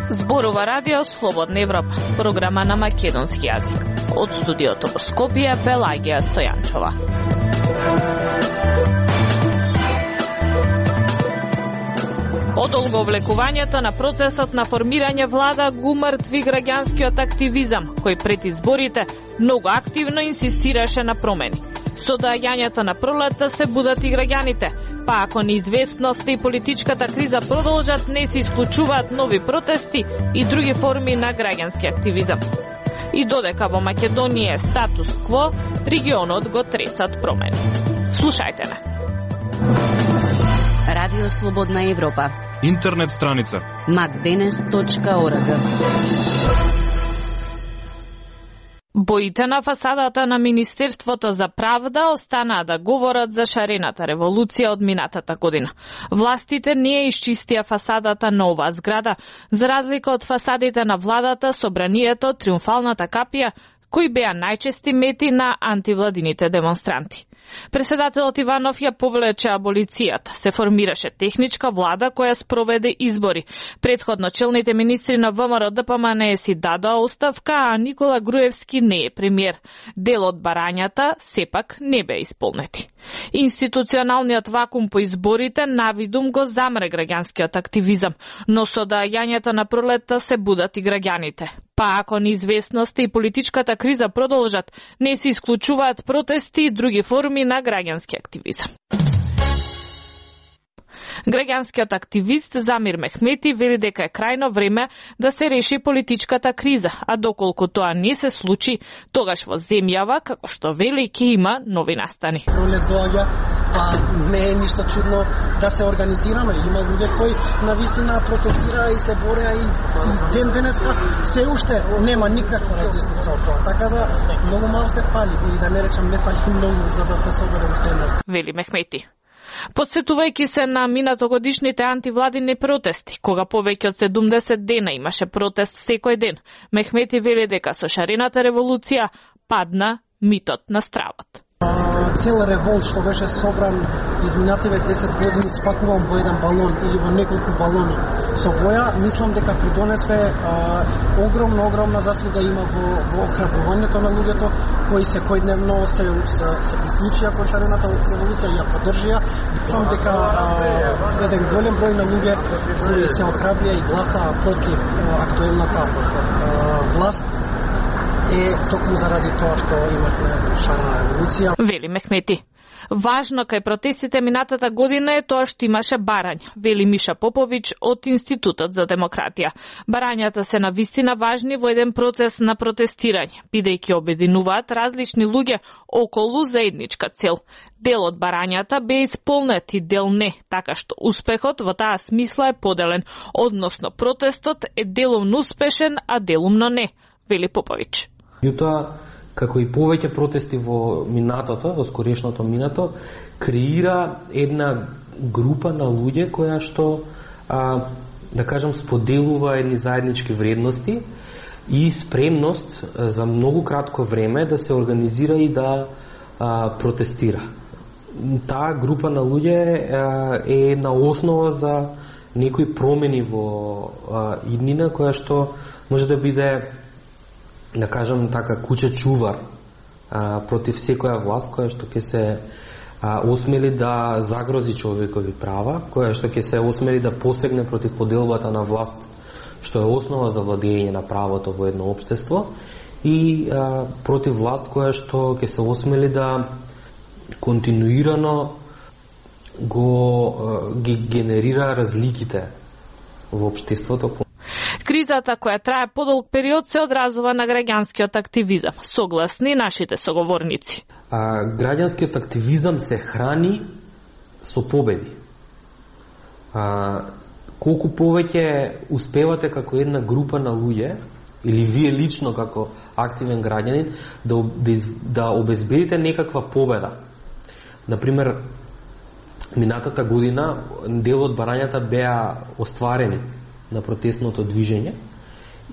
Зборува Радио Слободна Европа, програма на македонски јазик. Од студиото во Скопје, Пелагија Стојанчова. Одолговлекувањето на процесот на формирање влада го умртви граѓанскиот активизам, кој пред изборите многу активно инсистираше на промени. Со доаѓањето на пролетта се будат и граѓаните, па ако неизвестноста и политичката криза продолжат, не се исклучуваат нови протести и други форми на граѓански активизам. И додека во Македонија е статус кво, регионот го тресат промени. Слушајте ме. Радио Слободна Европа. Интернет страница macdenes.org. Боите на фасадата на Министерството за правда останаа да говорат за шарената револуција од минатата година. Властите не ја исчистија фасадата на оваа зграда, за разлика од фасадите на владата, собранието, триумфалната капија, кои беа најчести мети на антивладините демонстранти. Преседателот Иванов ја повлече аболицијата. Се формираше техничка влада која спроведе избори. Претходно челните министри на ВМРО ДПМН си дадоа оставка, а Никола Груевски не е премиер. Дел од барањата сепак не беа исполнети. Институционалниот вакуум по изборите навидум го замре граѓанскиот активизам, но со доаѓањето на пролетта се будат и граѓаните. Па ако неизвестноста и политичката криза продолжат, не се исклучуваат протести и други форми на граѓански активизам. Граѓанскиот активист Замир Мехмети вели дека е крајно време да се реши политичката криза, а доколку тоа не се случи, тогаш во земјава, како што вели, ќе има нови настани. Пролет доаѓа, па не е ништо чудно да се организираме. Има луѓе кои навистина протестира и се бореа и ден денеска се уште нема никаква различница од тоа. Така да многу мал се фали и да не речам не фали многу за да се собере уште една. Вели Мехмети. Подсетувајќи се на минатогодишните антивладини протести, кога повеќе од 70 дена имаше протест секој ден, Мехмети вели дека со шарената револуција падна митот на стравот. Цел револт што беше собран изминативе 10 години спакуван во еден балон или во неколку балони со боја, мислам дека придонесе огромна заслуга има во охрабрувањето на луѓето кои секојдневно се приклучија кон шарената револуција и ја поддржија. Мислам дека еден голем број на луѓе кои се охрабрија и гласаа против актуелната власт е токму заради тоа што имавме шарена револуција. Вели Мехмети. Важно кај протестите минатата година е тоа што имаше барања, вели Миша Поповиќ од Институтот за демократија. Барањата се навистина важни во еден процес на протестирање, бидејќи обединуваат различни луѓе околу заедничка цел. Дел од барањата бе исполнет и дел не, така што успехот во таа смисла е поделен, односно протестот е делумно успешен, а делумно не, вели Поповиќ. Јутоа, како и повеќе протести во минатото, во скорешното минато, креира една група на луѓе која што, да кажам, споделува едни заеднички вредности и спремност за многу кратко време да се организира и да протестира. Таа група на луѓе е на основа за некои промени во иднина која што може да биде, да кажам така, куќа чувар против секоја власт која што ќе се осмели да загрози човекови права, која што ќе се осмели да посегне против поделбата на власт, што е основа за владење на правото во едно општество, и против власт која што ќе се осмели да континуирано ги генерира разликите во општеството. Кризата која трае подолг период се одразува на граѓанскиот активизам, согласни нашите соговорници. Граѓанскиот активизам се храни со победи. Колку повеќе успевате како една група на луѓе, или вие лично како активен граѓанин, да обезбедите некаква победа. Например, минатата година дел од барањата беа остварени на протестното движење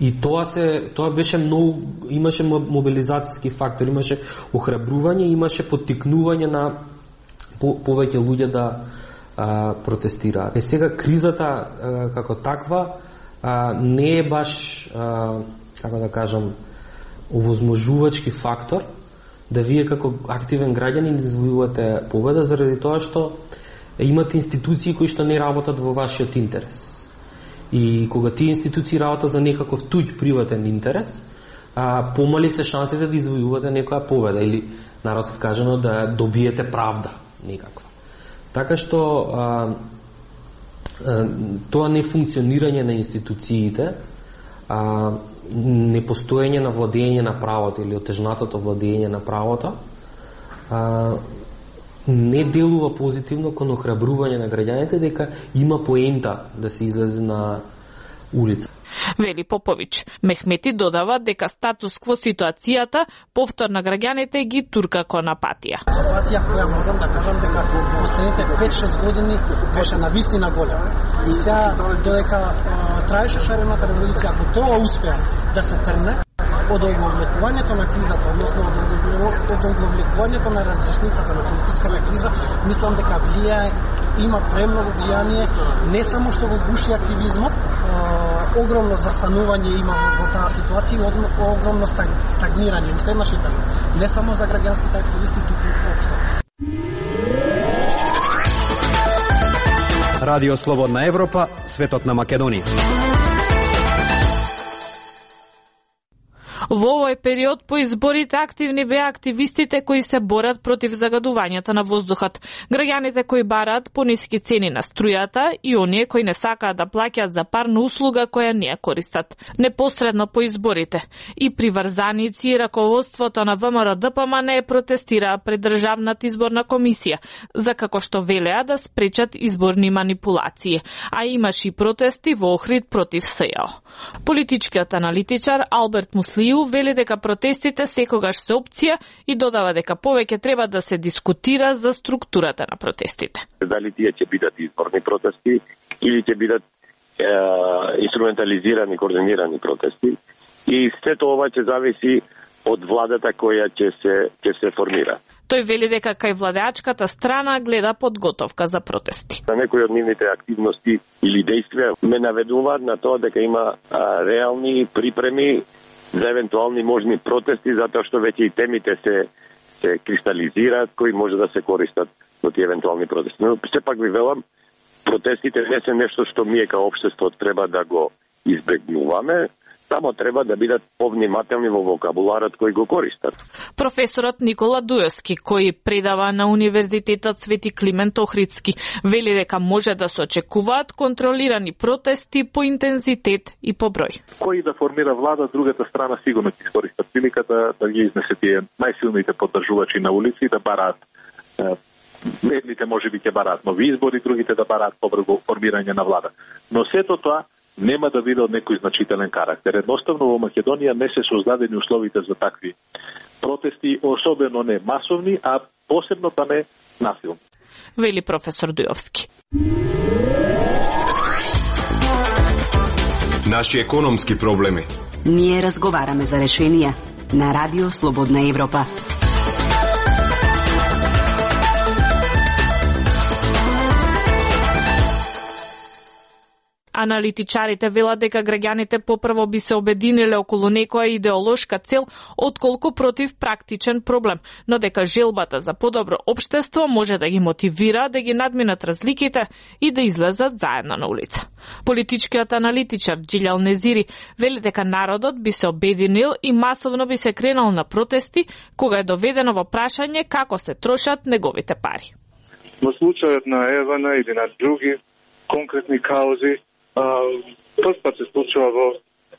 И тоа беше многу, имаше мобилизацијски фактор, имаше охрабрување, имаше поттикнување на повеќе луѓе да протестираат. Сега кризата како таква не е баш, како да кажам, овозможувачки фактор да вие како активен граѓанин извојувате победа, заради тоа што имате институции кои што не работат во вашиот интерес. И кога тие институции работат за некаков туѓ приватен интерес, помали се шансите да извојувате некоја победа или народски кажано да добиете правда некаква. Така што тоа нефункционирање на институциите, непостоење на владење на правото или отежнатото владење на правото не делува позитивно кон охрабрување на граѓаните дека има поента да се излезе на улица. Вели Попович. Мехмети додава дека статус кво ситуацијата повтор на граѓаните ги турка кон апатија. Апатија која можам да кажам дека последните 5-6 години беше навистина голема. И сега додека траеше шарената револуција, ако тоа успеа да се трне од оговлекувањето на кризата, односно од оговлекувањето на разрешницата на политичката криза, мислам дека има премногу влијание, не само што го гуши активизмот, огромно застанување има во таа ситуација и огромно стагнирање. Уште еднаш кажам, не само за граѓанските активисти, туку општо. Радио Слободна Европа, светот на Македонија. Во овој период по изборите активни беа активистите кои се борат против загадувањето на воздухот, граѓаните кои бараат пониски цени на струјата и оние кои не сакаат да плаќаат за парна услуга која не ја користат. Непосредно по изборите и приврзаници и раководството на ВМРО-ДПМН протестираа пред Државната изборна комисија за како што велеа да спречат изборни манипулации, а имаше и протести во Охрид против СЈО. Политичкиот аналитичар Алберт Муслију вели дека протестите секогаш се опција и додава дека повеќе треба да се дискутира за структурата на протестите. Дали тие ќе бидат изборни протести или ќе бидат инструментализирани, координирани протести, и сето ова ќе зависи од владата која ќе се формира. Тој вели дека кај владеачката страна гледа подготовка за протести. На некои од нивните активности или действија ме наведуваат на тоа дека има реални припреми за евентуални можни протести, затоа што веќе и темите се кристализираат кои може да се користат во тие евентуални протести. Но сепак ви велам, протестите не се нешто што ние као општество треба да го избегнуваме, само треба да бидат повнимателни во вокабуларот кој го користат. Професорот Никола Дујовски, кој предава на Универзитетот Свети Климент Охридски, вели дека може да се очекуваат контролирани протести по интензитет и по број. Кој да формира влада, другата страна сигурно ќе искористат приликата да ги изнесе тие најсилните поддржувачи на улици да бараат. Едните можеби ќе бараат нови избори, другите да бараат побрзо формирање на влада. Но сето тоа нема да биде од некој значителен карактер. Едноставно во Македонија не се создадени условите за такви протести, особено не масовни, а посебно па не насилни. Вели професор Дујовски. Наши економски проблеми. Ние разговараме за решенија на Радио Слободна Европа. Аналитичарите велат дека граѓаните попрво би се обединиле околу некоја идеолошка цел отколку против практичен проблем, но дека желбата за подобро општество може да ги мотивира да ги надминат разликите и да излезат заедно на улица. Политичкиот аналитичар Джилјал Незири вели дека народот би се обединил и масовно би се кренал на протести кога е доведено во прашање како се трошат неговите пари. Во случајот на Евана или на други конкретни каузи, прв пат се случува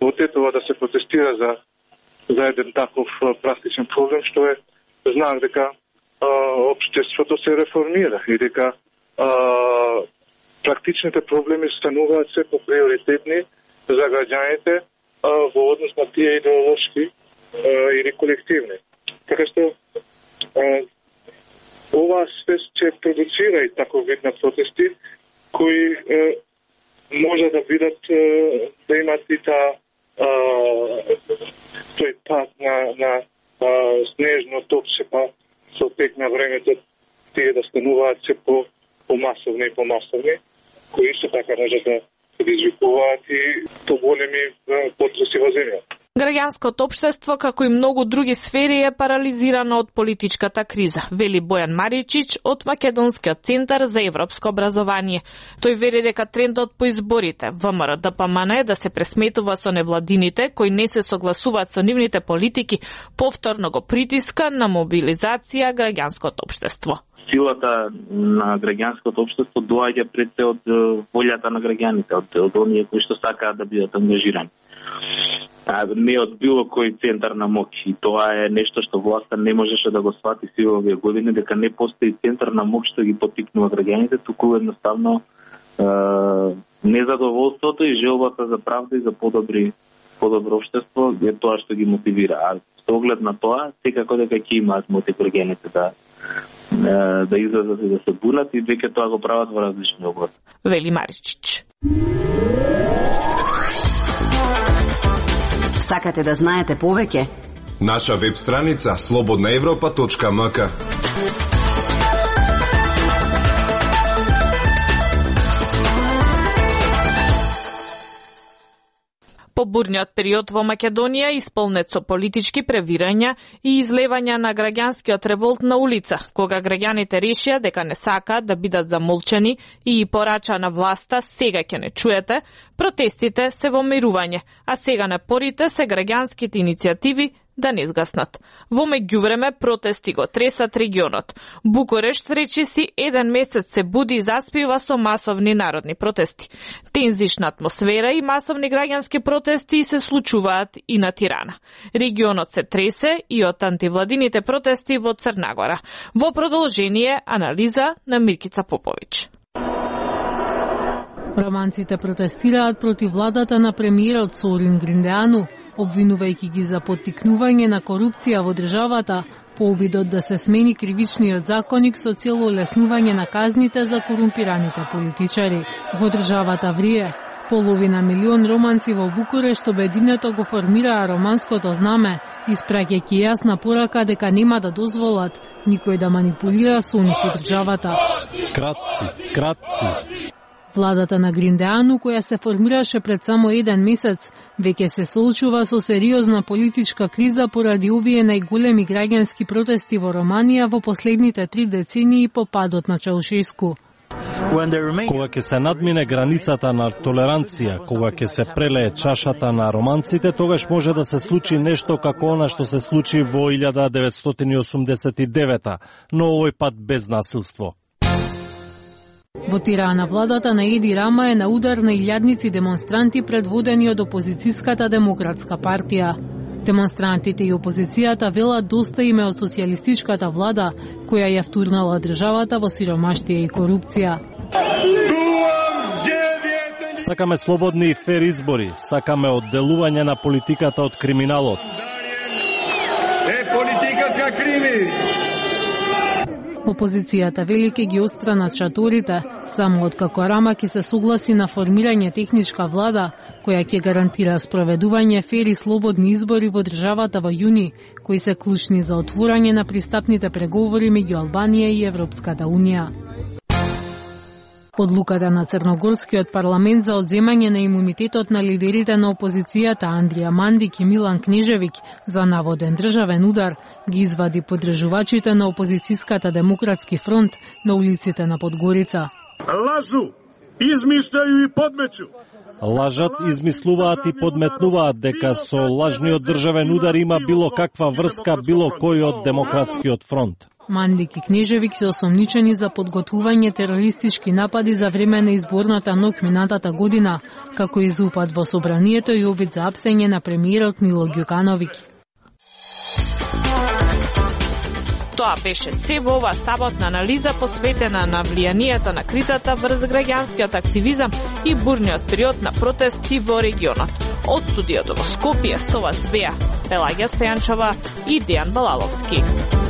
во Тетово да се протестира за еден таков практичен проблем, што е знак дека општеството се реформира и дека практичните проблеми стануваат се по-приоритетни за граѓаните во однос на тие идеолошки или колективни. Така што ова се ќе продуцира и таков вид на протести кои може да бидат да имат и таа пат на снежно топче, па со тек на времето тие да стануваат се помасовни и помасовни, кои исто така може да предизвикуваат и поголеми потреси во земјата. Граѓанското општество, како и многу други сфери, е парализирано од политичката криза, вели Бојан Маричич од Македонскиот центар за европско образование. Тој вели дека трендот по изборите ВМРО-ДПМН е да се пресметува со невладините кои не се согласуваат со нивните политики, повторно го притиска на мобилизација граѓанското општество. Силата на граѓанското општество доаѓа пред се од волјата на граѓаните, од оние кои што сакаат да бидат ангажирани. Не од било кој центар на моќ. И тоа е нешто што власта не можеше да го свати сите овие години, дека не постои центар на моќ што ги поттикнува граѓаните, туку едноставно незадоволството и желбата за правда и за подобро општество е тоа што ги мотивира. А со оглед на тоа, секако дека ќе имаат мотив граѓаните да излезат и да се бунат, и веќе тоа го прават во различни области. Вели Маричич. Сакате да знаете повеќе? Наша веб страница slobodnaevropa.mk. По бурниот период во Македонија, исполнет со политички превирања и излевања на граѓанскиот револт на улица, кога граѓаните решија дека не сакаат да бидат замолчани и порача на власта сега ќе не чуете, протестите се во мирување, а сега напорите се граѓанските иницијативи да не згаснат. Во меѓувреме протести го тресат регионот. Букурешт речиси еден месец се буди и заспива со масовни народни протести. Тензична атмосфера и масовни граѓански протести се случуваат и на Тирана. Регионот се тресе и од антивладините протести во Црна Гора. Во продолжение анализа на Миркица Попович. Романците протестираат против владата на премиерот Сорин Гриндеану, обвинувајќи ги за поттикнување на корупција во државата по обидот да се смени кривичниот законник со цел олеснување на казните за корумпираните политичари. Во државата врие. Половина милион романци во Букурешт обединето го формираа романското знаме, испраќајќи јасна порака дека нема да дозволат никој да манипулира со нив во државата. Кратци. Владата на Гриндеану, која се формираше пред само еден месец, веќе се соочува со сериозна политичка криза поради овие најголеми граѓански протести во Романија во последните 3 децении по падот на Чаушеску. Кога ќе се надмине границата на толеранција, кога ќе се прелее чашата на романците, тогаш може да се случи нешто како она што се случи во 1989, но овој пат без насилство. Во Тирана владата на Еди Рама е на удар на илјадници демонстранти предводени од опозицијската демократска партија. Демонстрантите и опозицијата велат доста име од социјалистичката влада, која ја втурнала државата во сиромаштија и корупција. Сакаме слободни и фер избори, сакаме одделување на политиката од криминалот. Политиката крими! Опозицијата вели ке ги отстранат шаторите, само откако Рама ќе се согласи на формирање техничка влада, која ќе гарантира спроведување фер и слободни избори во државата во јуни, кои се клучни за отворање на пристапните преговори меѓу Албанија и Европската унија. Одлуката на Црногорскиот парламент за одземање на имунитетот на лидерите на опозицијата Андрија Мандик и Милан Кнежевиќ за наводен државен удар ги извади поддржувачите на опозицијската Демократски фронт на улиците на Подгорица. Лажу, измишљају и подмечу. Лажат, измислуваат и подметнуваат дека со лажниот државен удар има било каква врска било кој од Демократскиот фронт. Мандик и Кнежевиќ се осомничени за подготвување терористички напади за време на изборната ноќ минатата година, како и за упад во собранието и обид за апсење на премиерот Мило Ѓукановиќ. Тоа беше се во ова саботна анализа посветена на влијанието на кризата врз граѓанскиот активизам и бурниот период на протести во регионот. Од студиото во Скопје со вас беа Пелагија Стојанчова и Дејан Балаловски.